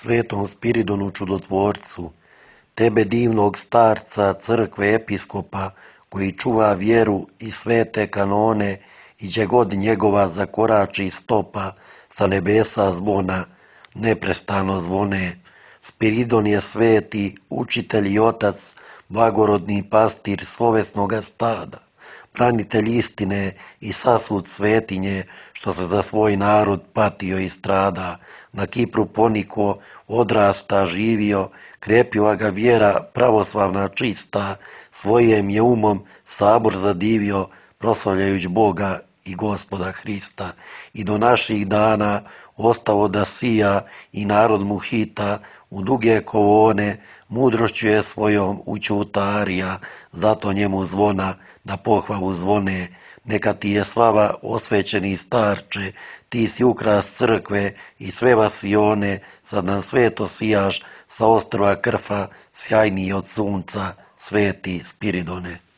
Svetom Spiridonu čudotvorcu, tebe divnog starca, crkve, episkopa, koji čuva vjeru i svete kanone i gdje god njegova zakorači stopa, sa nebesa zvona neprestano zvone. Spiridon je sveti, učitelj i otac, blagorodni pastir slovesnoga stada, branitelj istine i sasvud svetinje, što se za svoj narod patio i strada. Na Kipru poniko, odrasta, živio, krepila ga vjera pravoslavna čista, svojim je umom sabor zadivio, proslavljajući Boga i Gospoda Hrista. I do naših dana ostalo da sija i narod mu hita u duge kolone, mudrošću je svojom učutarija, zato njemu zvona na pohvalu zvone. Neka ti je slava, osvećeni starče, ti si ukras crkve i sve vasione, sad nam sveto sijaš sa ostrva Krfa, sjajniji od sunca, sveti Spiridone.